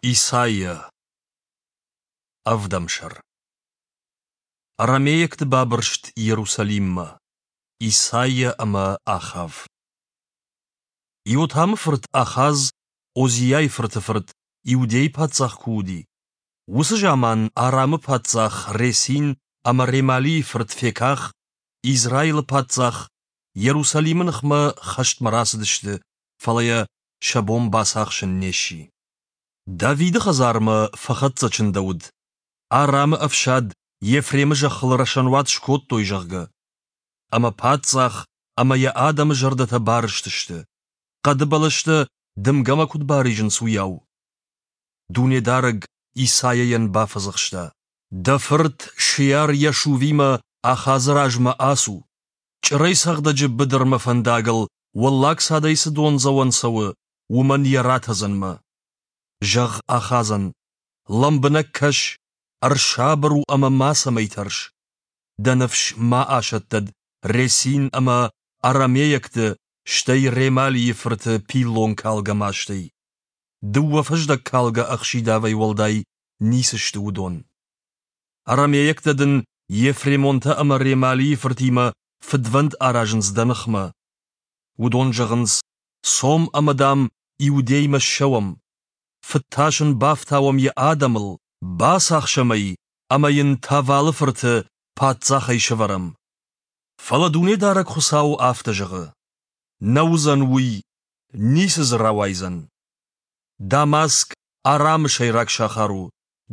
Исайа, ӕвдӕм сӕр. Арамейӕгты бабырст Иерусалиммӕ. Исайа ӕмӕ Ахав. Иотамы фырт Ахаз, Озиайы фырты фырт, Иудейы паддзах куы уыди, уыцы заман Арамы паддзах Ресин ӕмӕ Ремалийы фырт Феках, Израилы паддзах, Иерусалимы ныхмӕ хӕстмӕ рацыдысты, фӕлӕ йӕ сӕ бон бацахсын не сси. Давиды хӕдзармӕ фӕхӕццӕ чындӕуыд, Арамы ӕфсад Ефремы зӕххыл рӕсӕнуат скодтой, зӕгъгӕ. Ӕмӕ паддзах ӕмӕ йӕ адӕмы зӕрдӕтӕ барызтысты, хъӕды бӕлӕстӕ дымгӕмӕ куыд баризынц, уыйау. Дунедарӕг Исайайӕн бафӕдзӕхста: Дӕ фырт Шеар-Йашувимӕ Ахазы размӕ ацу. Чъырӕйцӕгъдӕджы быдырмӕ фӕндагыл уӕллаг цадӕй цы дондзӕуӕн цӕуы, уымӕн йӕ ратӕдзӕнмӕ. Зӕгъ Ахазӕн: Лӕмбынӕг кӕс, ӕрсабыр у ӕмӕ мацӕмӕй тӕрс. Дӕ ныфс ма асӕттӕд Ресин ӕмӕ арамейӕгты, стӕй Ремалийы фырты пиллонкалгӕ мастӕй. Дыууӕ фӕздӕгкалгӕ ӕхсидавӕй уӕлдай ницы сты уыдон. Арамейӕгтӕ дын ефремонтӕ ӕмӕ Ремалийы фыртимӕ фыдвӕнд аразынц дӕ ныхмӕ. Уыдон зӕгъынц, цом ӕмӕ, дам, Иудеймӕ ссӕуӕм. Фыд тас ын бафтауӕм йӕ адӕмыл, бацахсӕм ӕй ӕмӕ йын Тавалы фырты паддзахӕй сӕвӕрӕм. Фӕлӕ Дунедарӕг Хуыцау афтӕ зӕгъы: Нӕ уыдзӕн уый, ницы дзы рауайдзӕн. Дамаск Арамы сӕйраг сахар у,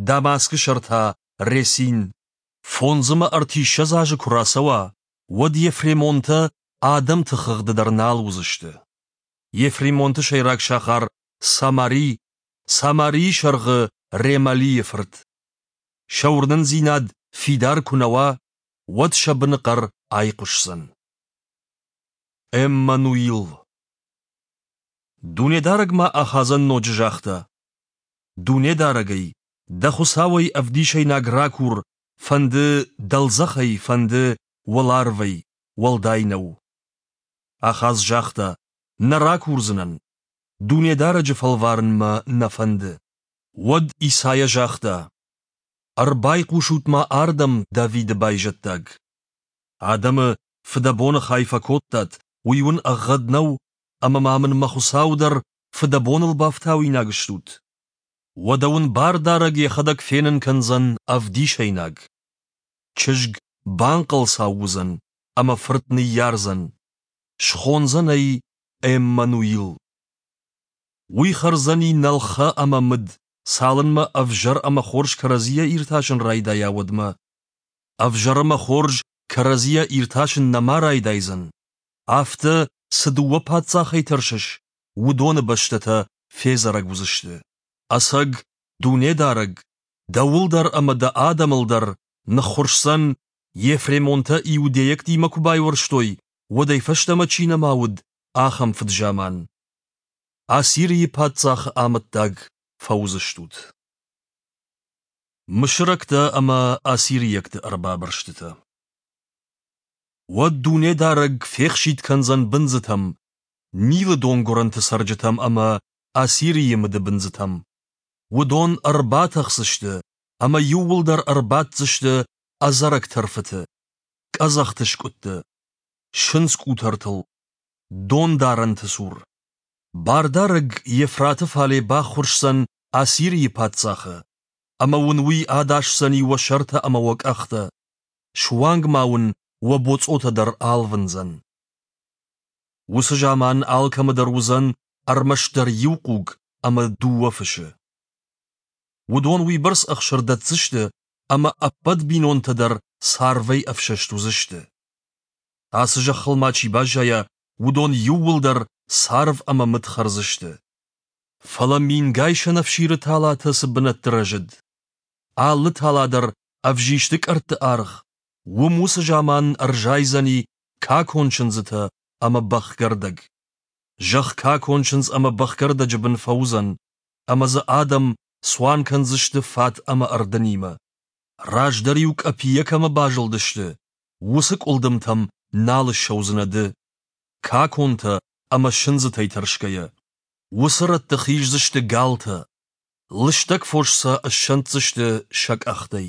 Дамаскы сӕр та Ресин. Фондз ӕмӕ ӕртиссӕдз азы куы рацӕуа, уӕд ефремонтӕ адӕмты хыгъды дӕр нал уыдзысты. Ефремонты сӕйраг сахар Самари, Самарийы сӕргъы Ремалийы фырт. Сӕ уырнындзинад фидар куы нӕ уа, уӕд сӕ быныхъӕр айхъуысдзӕн. Эммануил. Дунедарӕг ма Ахазӕн ноджы загъта: Дунедарӕгӕй, дӕ Хуыцауӕй ӕвдисӕйнаг ракур, фӕнды дӕлдзӕхӕй, фӕнды уӕларвӕй, уӕлдай нӕу. Ахаз загъта: Нӕ ракурдзынӕн. Дунедарӕджы фӕлварын мӕ нӕ фӕнды. Уӕд Исайа загъта: Ӕрбайхъусут-ма ардӕм, Давиды байзӕддаг! Адӕмы фыдӕбоны хай фӕкодтат, уый уын ӕгъгъӕд нӕу, ӕмӕ ма мын мӕ Хуыцауы дӕр фыдӕбоныл бафтауинаг стут? Уӕдӕ уын Бардарӕг йӕхӕдӕг фенын кӕндзӕн ӕвдисӕйнаг. Чызг банхъӕлцау уыдзӕн ӕмӕ фырт ныййардзӕн. Схондзӕн ӕй Эммануил. Уый хӕрдзӕни нӕлхӕ ӕмӕ мыд, цалынмӕ ӕвзӕр ӕмӕ хорз кӕрӕдзийӕ иртасын райдайа, уӕдмӕ. Ӕвзӕр ӕмӕ хорз кӕрӕдзийӕ иртасын нӕма райдайдзӕн. Афтӕ, цы дыууӕ паддзахӕй тӕрсыс, уыдоны бӕстӕтӕ федзӕрӕг уыдзысты. Ӕцӕг, Дунедарӕг, дӕуыл дӕр ӕмӕ дӕ адӕмыл дӕр ныххуырсдзӕн, ефремонтӕ иудейӕгтимӕ куы байуӕрстой, уӕдӕй фӕстӕмӕ чи нӕма уыд, ахӕм фыд-заман. Ассирийы паддзахы амӕттаг фӕуыдзыстут. Мысырӕгтӕ ӕмӕ ассирийӕгты ӕрбабырстытӕ. Уӕд Дунедарӕг фехситт кӕндзӕн бындзытӕм, Нилы донгуырӕнты цӕрджытӕм ӕмӕ Ассирийы мыдыбындзытӕм. Уыдон ӕрбатӕхдзысты ӕмӕ иууылдӕр ӕрбаддзысты ӕдзӕрӕг тӕрфыты, къӕдзӕхты скъуыдты, сындзкъутӕртыл, дондарӕнты цур. Бардарӕг Ефраты фале баххуырсдзӕн Ассирийы паддзахы, ӕмӕ уын уый адасдзӕни уӕ сӕртӕ ӕмӕ уӕ къӕхтӕ, суанг ма уын уӕ боцъотӕ дӕр алвындзӕн. Уыцы заман алкӕмӕ дӕр уыдзӕн ӕрмӕстдӕр иу хъуг ӕмӕ дыууӕ фысы. Уыдон уыйбӕрц ӕхсыр дӕтдзысты, ӕмӕ ӕппӕт бинонтӕ дӕр царвӕй ӕфсӕст уыдзысты. Ацы зӕххыл ма чи баззайа, уыдон иууылдӕр царв ӕмӕ мыд хӕрдзысты. Фӕлӕ мингай сӕнӕфсиры талатӕ цы бынӕтты рӕзыд, алы тала дӕр ӕвзисты къӕртты аргъ, уым уыцы заман ӕрзайдзӕни какон чындзытӕ ӕмӕ бӕхгӕрдӕг. Зӕхх какон чындз ӕмӕ бӕхгӕрдӕджы бын фӕуыдзӕн, ӕмӕ дзы адӕм цуан кӕндзысты фат ӕмӕ ӕрдынимӕ. Раздӕр-иу къӕпийӕ кӕмӕ базылдысты, уыцы къуылдымтӕм нал ссӕудзынӕ ды, каконтӕ ӕмӕ сындзытӕй тӕрсгӕйӕ. Уыцы рӕтты хиздзысты галтӕ. Лыстӕг фос сӕ ссӕнддзысты сӕ къӕхтӕй.